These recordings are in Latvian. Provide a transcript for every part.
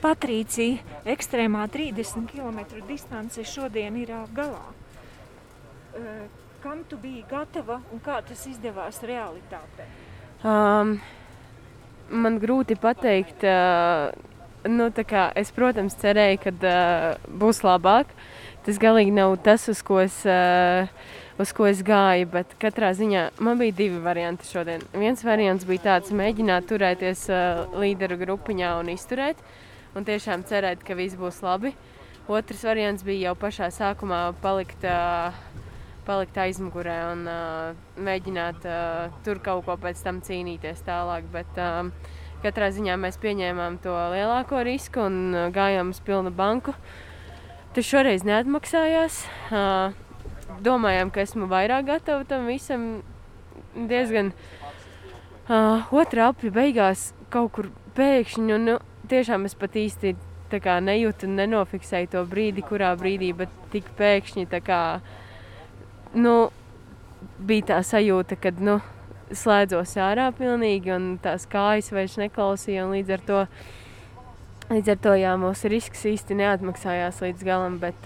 Patrīcija, ekstrēmā 30 km distance šodien ir galā. Kam tu biji gatava un kā tas izdevās realitātē? Man grūti pateikt. Es, protams, cerēju, ka būs labāk. Tas galīgi nav tas, uz ko es gāju, bet katrā ziņā man bija 2 varianti šodien. Viens variants bija tāds, mēģināt turēties līderu grupiņā un izturēt, un tiešām cerēt, ka viss būs labi. Otrs variants bija jau pašā sākumā palikt aizmugurē un mēģināt tur kaut ko pēc tam cīnīties tālāk, bet katrā ziņā mēs pieņēmām to lielāko risku un gājām uz pilnu banku. Tas šoreiz neatmaksājās. Domājām, ka esmu vairāk gatava tam visam diezgan. Otrā apļa beigās kaut kur pēkšņi, un tiešām es pat īsti nejūtu un nenofiksēju to brīdi, kurā brīdī, bet tik pēkšņi bija tā sajūta, kad slēdzos ārā pilnīgi un tās kājas vairs neklausīja, un līdz ar to jā, mūsu risks īsti neatmaksājās līdz galam, bet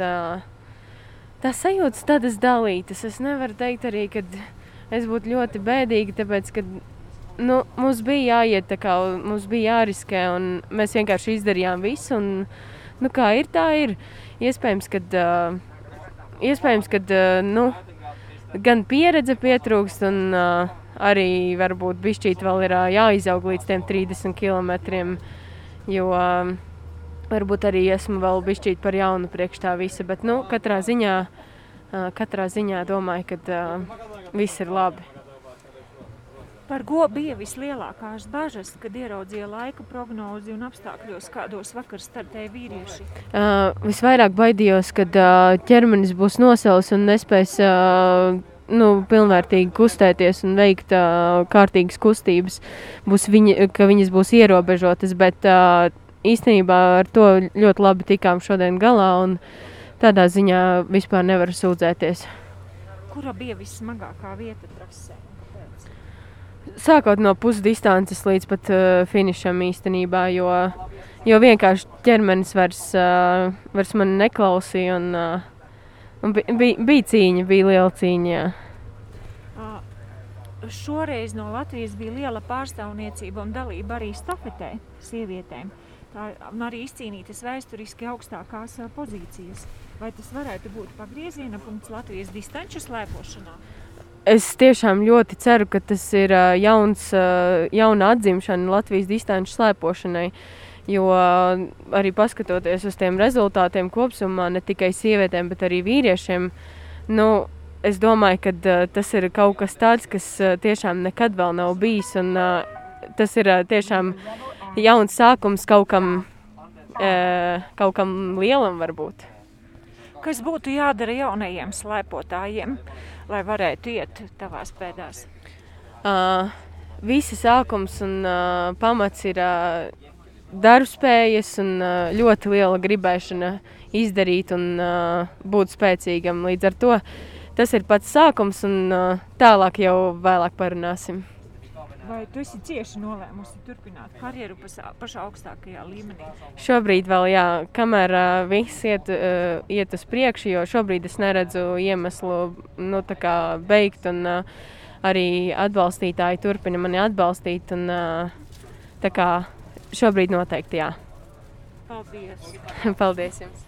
tās sajūtas tādas dalītas. Es nevaru teikt arī, ka es būtu ļoti bēdīga, tāpēc, ka mums bija jāiet, mums bija jāriskē, un mēs vienkārši izdarījām visu, un kā ir, tā ir. Iespējams, ka gan pieredze pietrūkst, un arī varbūt bišķīt vēl ir jāizaug līdz tiem 30 kilometriem, jo varbūt arī esmu vēl bišķīt par jaunu priekš tā visa, bet katrā ziņā domāju, ka viss ir labi. Par ko bija vislielākās bažas, kad ieraudzīja laika prognozi un apstākļos, kādos vakar startēja vīrieši? Visvairāk baidījos, kad ķermenis būs nosals un nespēs pilnvērtīgi kustēties un veikt kārtīgas kustības, ka viņas būs ierobežotas, bet īstenībā ar to ļoti labi tikām šodien galā un tādā ziņā vispār nevaru sūdzēties. Kura bija vissmagākā vieta trasē? Sākot no pusdistances līdz pat finišam īstenībā, jo vienkārši ķermenis vairs man neklausīja un bija cīņa, bija liela cīņa, jā. Šoreiz no Latvijas bija liela pārstāvniecība un dalība arī stafetē sievietēm. Tā arī izcīnītas vēsturiski augstākās pozīcijas. Vai tas varētu būt pagrieziena punkts Latvijas distanču slēpošanā? Es tiešām ļoti ceru, ka tas ir jauna atzimšana Latvijas distanču slēpošanai, jo arī paskatoties uz tiem rezultātiem kopsumā, ne tikai sievietēm, bet arī vīriešiem, es domāju, ka tas ir kaut kas tāds, kas tiešām nekad vēl nav bijis, un tas ir tiešām jauns sākums kaut kam lielam varbūt. Kas būtu jādara jaunajiem slēpotājiem, lai varētu iet tavās pēdās? Visi sākums un pamats ir darbspējas un ļoti liela gribēšana izdarīt un būt spēcīgam. Līdz ar to tas ir pats sākums un tālāk jau vēlāk parunāsim. Vai tu esi cieši nolēmusi turpināt karjeru pašā augstākajā līmenī? Šobrīd vēl jā, kamēr viss iet uz priekšu, jo šobrīd es neredzu iemeslu beigt un arī atbalstītāji turpina mani atbalstīt un šobrīd noteikti jā. Paldies! Paldies jums!